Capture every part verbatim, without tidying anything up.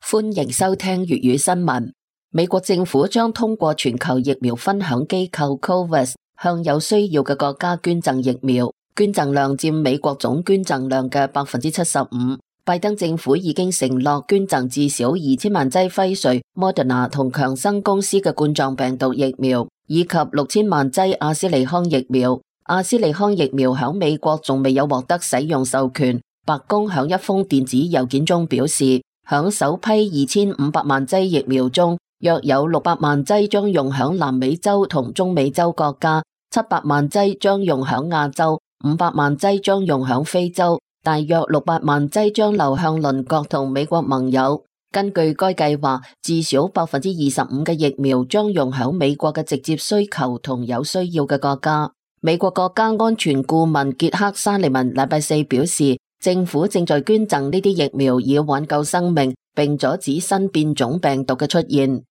歡迎收聽粵語新聞。美國政府將通過全球疫苗分享機構 COVAX 向有需要嘅國家捐贈疫苗，捐贈量佔美國總捐贈量嘅百分之七十五。拜登政府已經承諾捐贈至少二千萬劑輝瑞、Moderna 同強生公司嘅冠狀病毒疫苗，以及六千萬劑阿斯利康疫苗。阿斯利康疫苗響美國仲未有獲得使用授權。白宮響一封電子郵件中表示，響首批二千五百萬劑疫苗中，約有六百萬劑將用響南美洲同中美洲國家，七百萬劑將用響亞洲，五百萬劑將用響非洲，大約六百萬劑將流向鄰國同美國盟友。根據該計劃，至少百分之二十五嘅疫苗將用響美國嘅直接需求同有需要嘅國家。美國國家安全顧問傑克沙利文禮拜四表示，政府正在捐贈呢啲疫苗以挽救生命，並阻止新變種病毒嘅出現。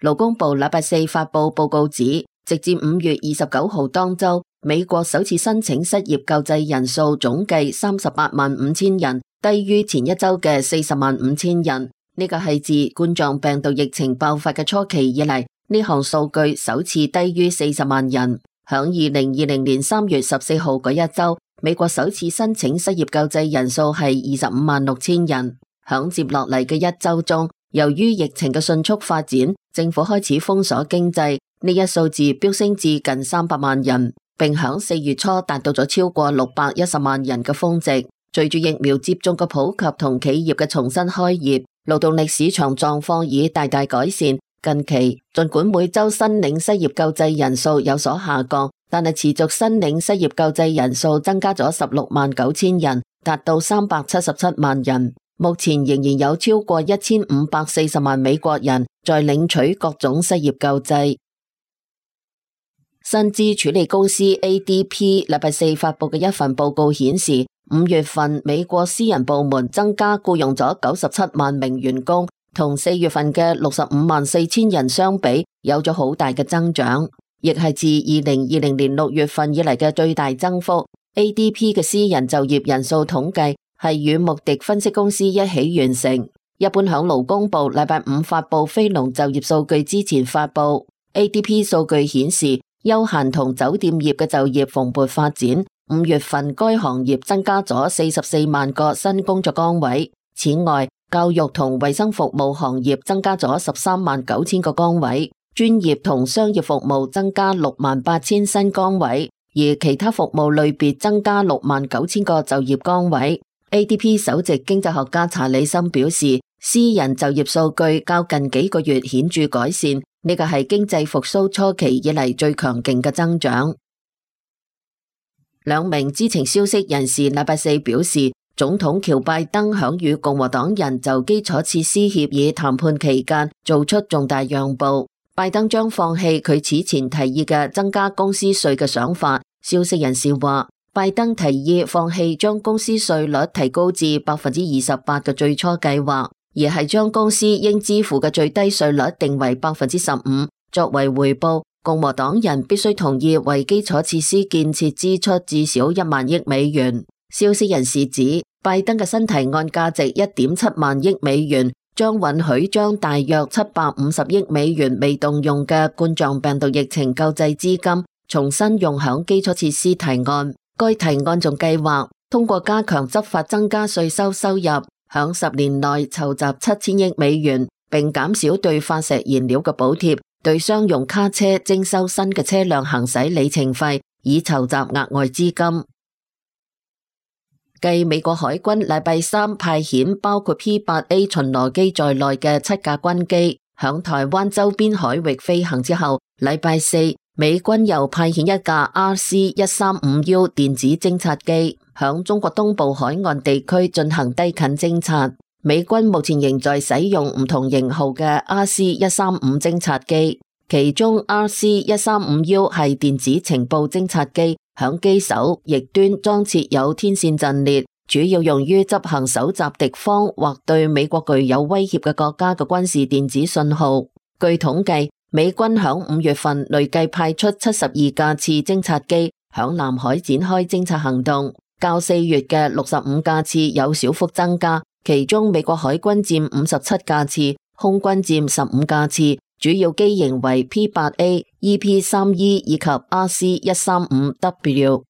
勞工部禮拜四發布報告指，直至五月二十九號當周，美國首次申請失業救濟人數總計三十八萬五千人，低於前一周嘅四十萬五千人。呢個係自冠狀病毒疫情爆發嘅初期以嚟，呢項數據首次低於四十萬人。響二零二零年三月十四號嗰一周，美國首次申請失業救濟人數係二十五萬六千人。響接落嚟嘅一周中，由於疫情嘅迅速發展，政府開始封鎖經濟，呢一數字飆升至近三百萬人，並響四月初達到咗超過六百一十萬人嘅峰值。隨住疫苗接種嘅普及同企業嘅重新開業，勞動力市場狀況已大大改善。近期，儘管每周申領失業救濟人數有所下降，但係持續申領失業救濟人數增加咗十六萬九千人，達到三百七十七萬人。目前仍然有超過一千五百四十萬美國人在領取各種失業救濟。薪資處理公司 A D P 禮拜四發佈嘅一份報告顯示，五月份美國私人部門增加僱用咗九十七萬名員工，同四月份嘅六十五萬四千人相比，有咗好大嘅增長，亦係自二零二零年六月份以嚟嘅最大增幅。A D P 嘅私人就業人數統計係與穆迪分析公司一起完成。一般響勞工部禮拜五發佈非農就業數據之前發佈。A D P 數據顯示，休閒同酒店業嘅就業蓬勃發展。五月份該行業增加咗四十四萬個新工作崗位。此外，教育同衛生服務行業增加咗十三萬九千個崗位，專業同商業服務增加六萬八千新崗位，而其他服務類別增加六萬九千個就業崗位。A D P 首席經濟學家查理森表示，私人就業數據較近幾個月顯著改善，呢個係經濟復甦初期以嚟最強勁嘅增長。兩名知情消息人士禮拜四表示，總統喬拜登響與共和黨人就基礎設施協議談判期間做出重大讓步，拜登將放棄佢此前提議嘅增加公司稅嘅想法。消息人士話，拜登提議放棄將公司稅率提高至百分之二十八嘅最初計劃，而係將公司應支付嘅最低稅率定為百分之十五。作為回報，共和黨人必須同意為基礎設施建設支出至少一萬億美元。消息人士指，拜登嘅新提案價值一點七萬億美元，將允許將大約七百五十億美元未動用嘅冠狀病毒疫情救濟資金重新用響基礎設施提案。該提案仲計劃通過加強執法增加稅收收入，響十年內籌集七千億美元，並減少對化石燃料嘅補貼，對商用卡車徵收新嘅車輛行駛里程費，以籌集額外資金。繼美國海軍禮拜三派遣包括 P 八 A 巡邏機在內嘅七架軍機響台灣周邊海域飛行之後，禮拜四美軍又派遣一架 R C 一三五 U 電子偵察機響中國東部海岸地區進行低近偵察。美軍目前仍在使用唔同型號嘅 R C 一三五偵察機，其中 R C 一三五 U 係電子情報偵察機，響機首翼端裝設有天線陣列，主要用於執行搜集敵方或對美國具有威脅嘅國家嘅軍事電子信號。據統計，美軍響五月份累計派出七十二架次偵察機響南海展開偵察行動，較四月嘅六十五架次有小幅增加。其中美國海軍佔五十七架次，空軍佔十五架次，主要機型為 P 八 A、E P 三 E 以及 R C 一三五 W。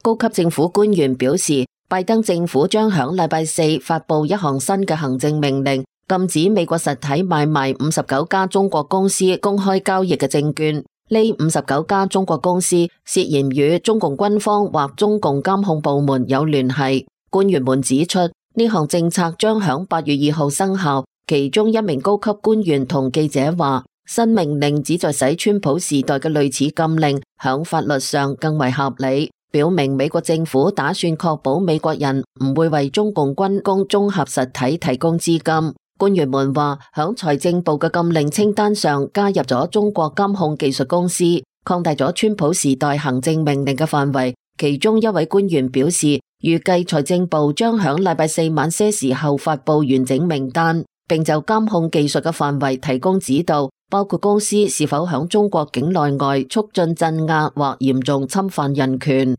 高級政府官員表示，拜登政府將響禮拜四發布一項新嘅行政命令，禁止美國實體買賣五十九家中國公司公開交易嘅證券。呢五十九家中國公司涉嫌與中共軍方或中共監控部門有聯繫。官員們指出，呢項政策將響八月二號生效。其中一名高級官員同記者話，新命令旨在使川普時代嘅類似禁令響法律上更為合理，表明美國政府打算確保美國人唔會為中共軍工綜合實體提供資金。官員們話，響財政部嘅禁令清單上加入咗中國監控技術公司，擴大咗川普時代行政命令嘅範圍。其中一位官員表示，預計財政部將響禮拜四晚些時候發布完整名單，並就監控技術嘅範圍提供指導，包括公司是否響中國境內外促進鎮壓或嚴重侵犯人權。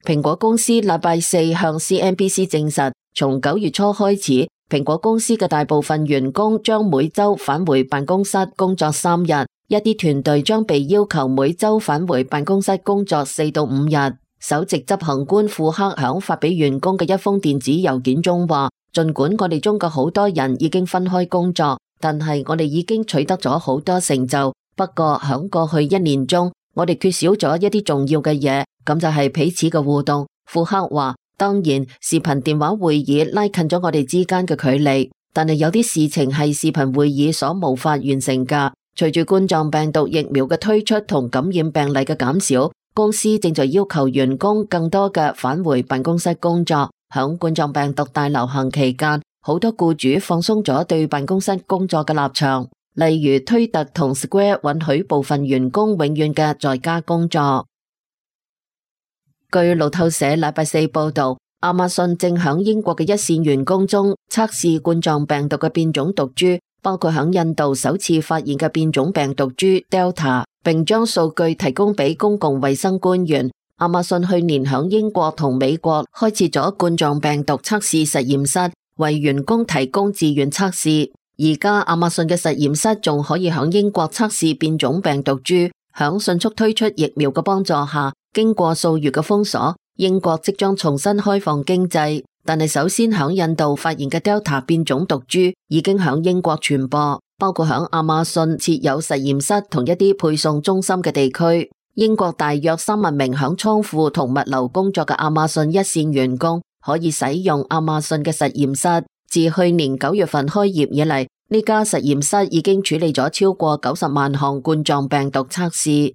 蘋果公司禮拜四向 C N B C 證實，從九月初開始，蘋果公司嘅大部分員工將每周返回辦公室工作三日，一啲團隊將被要求每周返回辦公室工作四到五日。首席執行官庫克響發俾員工嘅一封電子郵件中話，儘管我哋中嘅好多人已經分開工作，但係我哋已經取得咗好多成就。不過響過去一年中，我哋缺少咗一啲重要嘅嘢，咁就係彼此嘅互動。庫克話，當然視頻電話會議拉近咗我哋之間嘅距離，但係有啲事情係視頻會議所無法完成㗎。隨住冠狀病毒疫苗嘅推出同感染病例嘅減少，公司正在要求員工更多嘅返回辦公室工作。響冠狀病毒大流行期間，好多僱主放鬆咗對辦公室工作嘅立場，例如推特同 Square 允許部分員工永遠嘅在家工作。據路透社禮拜四報道，亞馬遜正響英國嘅一線員工中測試冠狀病毒嘅變種毒株，包括響印度首次發現嘅變種病毒株 Delta， 並將數據提供俾公共衛生官員。亞馬遜去年響英國同美國開設咗冠狀病毒測試實驗室，為員工提供自願測試。而家亞馬遜嘅實驗室仲可以響英國測試變種病毒株。響迅速推出疫苗嘅幫助下，經過數月嘅封鎖，英國即將重新開放經濟。但係首先響印度發現嘅 Delta 變種毒株已經響英國傳播，包括響亞馬遜設有實驗室同一啲配送中心嘅地區。英國大約三萬名響倉庫同物流工作嘅亞馬遜一線員工可以使用亞馬遜嘅實驗室。自去年九月份開業以嚟，呢家實驗室已經處理咗超過九十萬項冠狀病毒測試。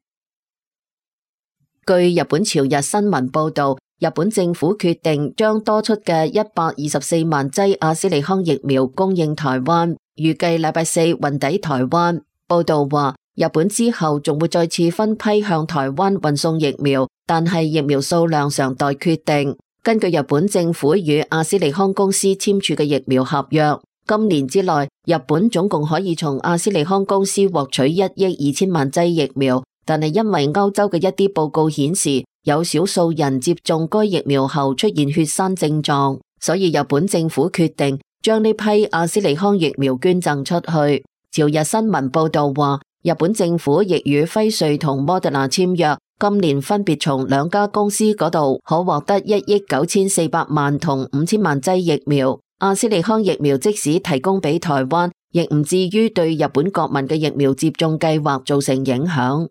據日本朝日新聞報道，日本政府決定將多出嘅一百二十四萬劑阿斯利康疫苗供應台灣，預計禮拜四運抵台灣。報道話，日本之後仲會再次分批向台灣運送疫苗，但係疫苗數量尚待決定。根據日本政府與阿斯利康公司簽署嘅疫苗合約，今年之內，日本總共可以從阿斯利康公司獲取一億二千萬劑疫苗，但係因為歐洲嘅一啲報告顯示，有少數人接種該疫苗後出現血栓症狀，所以日本政府決定將呢批阿斯利康疫苗捐贈出去。朝日新聞報道話，日本政府亦與輝瑞同莫德納簽約，今年分別從兩家公司嗰度可獲得一億九千四百萬同五千萬劑疫苗。阿斯利康疫苗即使提供俾台灣，亦唔至於對日本國民嘅疫苗接種計劃造成影響。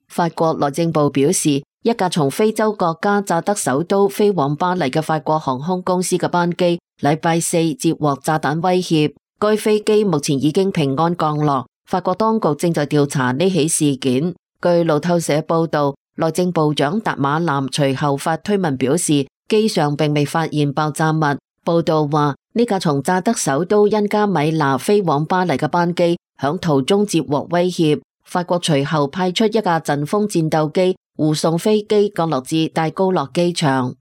法國內政部表示，一架從非洲國家乍得首都飛往巴黎嘅法國航空公司嘅班機，禮拜四接獲炸彈威脅。該飛機目前已經平安降落，法國當局正在調查呢起事件。據路透社報道，內政部長達馬南隨後發推文表示，機上並未發現爆炸物。報道話，呢架從乍得首都恩加米納飛往巴黎嘅班機響途中接獲威脅，法國隨後派出一架陣風戰鬥機護送飛機降落至戴高樂機場。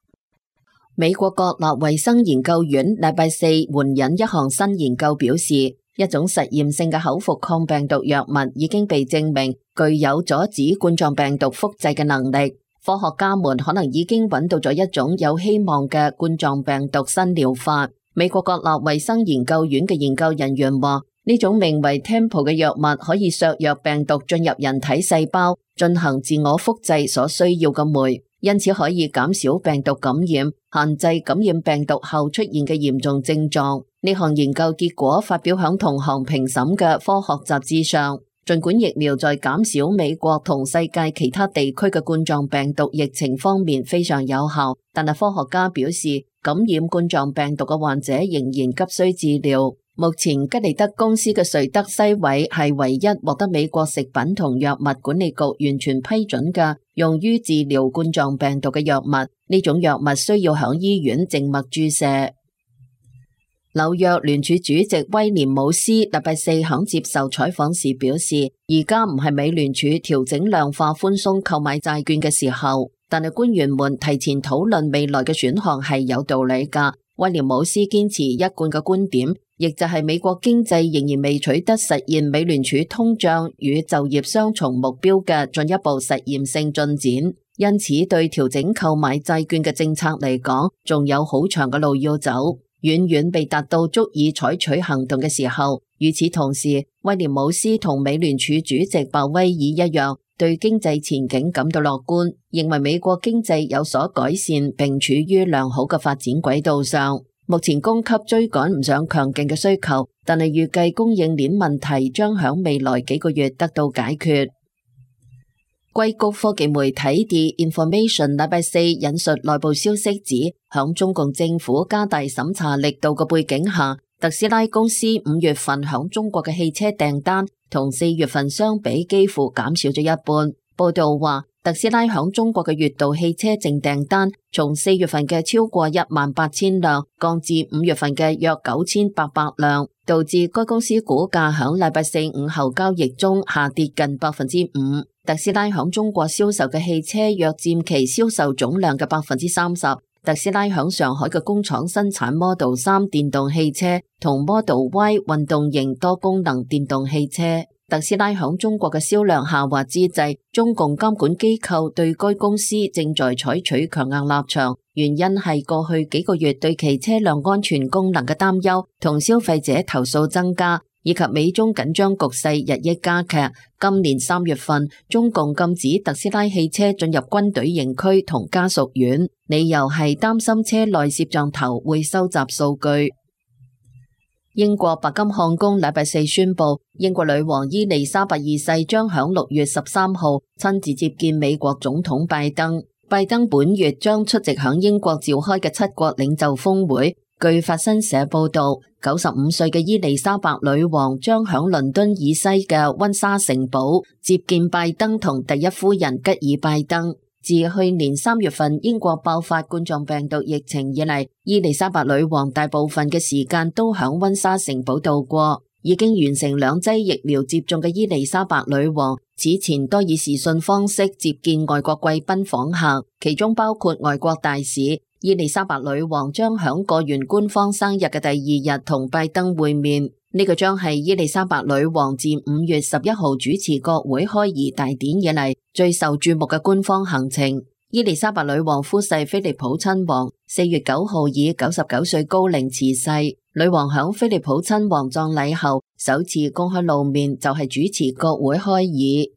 美國國立衛生研究院禮拜四援引一項新研究表示，一種實驗性嘅口服抗病毒藥物已經被證明具有阻止冠狀病毒複製嘅能力。科學家們可能已經揾到咗一種有希望嘅冠狀病毒新療法。美國國立衛生研究院嘅研究人員話，呢種名為 Tempo 嘅藥物可以削弱病毒進入人體細胞，進行自我複製所需要嘅酶，因此可以減少病毒感染，限制感染病毒後出現嘅嚴重症狀。呢項研究結果發表響同行評審嘅科學雜誌上。儘管疫苗在減少美國同世界其他地區嘅冠狀病毒疫情方面非常有效，但係科學家表示，感染冠狀病毒嘅患者仍然急需治療。目前吉利德公司嘅瑞德西韋係唯一獲得美國食品同藥物管理局完全批准嘅用於治療冠狀病毒嘅藥物。呢種藥物需要響醫院靜脈注射。紐約聯儲主席威廉姆斯禮拜四響接受採訪時表示，而家唔係美聯儲調整量化寬鬆購買債券嘅時候，但係官員們提前討論未來嘅選項係有道理噶。威廉姆斯堅持一貫嘅觀點，亦就係美國經濟仍然未取得實現美聯儲通脹與就業雙重目標嘅進一步實驗性進展，因此對調整購買債券嘅政策嚟講，仲有好長嘅路要走。遠遠未達到足以採取行動嘅時候。與此同時，威廉姆斯同美聯儲主席鮑威爾一樣，對經濟前景感到樂觀，認為美國經濟有所改善並處於良好嘅發展軌道上。目前供給追趕唔上強勁嘅需求，但係預計供應鏈問題將響未來幾個月得到解決。硅谷科技媒體 The Information 禮拜四引述內部消息指，響中共政府加大審查力度嘅背景下，特斯拉公司五月份響中國嘅汽車訂單同四月份相比幾乎減少咗一半。報道話，特斯拉響中國嘅月度汽車淨訂單從四月份嘅超過一萬八千輛降至五月份嘅約九千八百輛，導致該公司股價響禮拜四午後交易中下跌近百分之五。特斯拉響中國銷售嘅汽車約佔其銷售總量嘅百分之三十。特斯拉響上海嘅工廠生產 Model 三電動汽車同 Model Y 運動型多功能電動汽車。特斯拉響中國嘅銷量下滑之際，中共監管機構對該公司正在採取強硬立場，原因係過去幾個月對其車輛安全功能嘅擔憂同消費者投訴增加，以及美中緊張局勢日益加劇。今年三月份，中共禁止特斯拉汽車進入軍隊營區同家屬院，理由係擔心車內攝像頭會收集數據。英國白金漢宮禮拜四宣布，英國女王伊麗莎白二世將響六月十三號親自接見美國總統拜登。拜登本月將出席響英國召開嘅七國領袖峰會。據法新社報道，九十五歲嘅伊麗莎白女王將響倫敦以西嘅溫莎城堡接見拜登同第一夫人吉爾拜登。自去年三月份英國爆發冠狀病毒疫情以嚟，伊麗莎白女王大部分嘅時間都響溫莎城堡度過。已經完成兩劑疫苗接種嘅伊麗莎白女王此前多以視訊方式接見外國貴賓訪客，其中包括外國大使。伊麗莎白女王將響過完官方生日嘅第二日同拜登會面，呢、這個將係伊麗莎白女王自五月十一號主持國會開儀大典以嚟最受注目嘅官方行程。伊麗莎白女王夫婿菲利普親王四月九號以九十九歲高齡辭世，女王響菲利普親王葬禮後首次公開露面就係主持國會開議。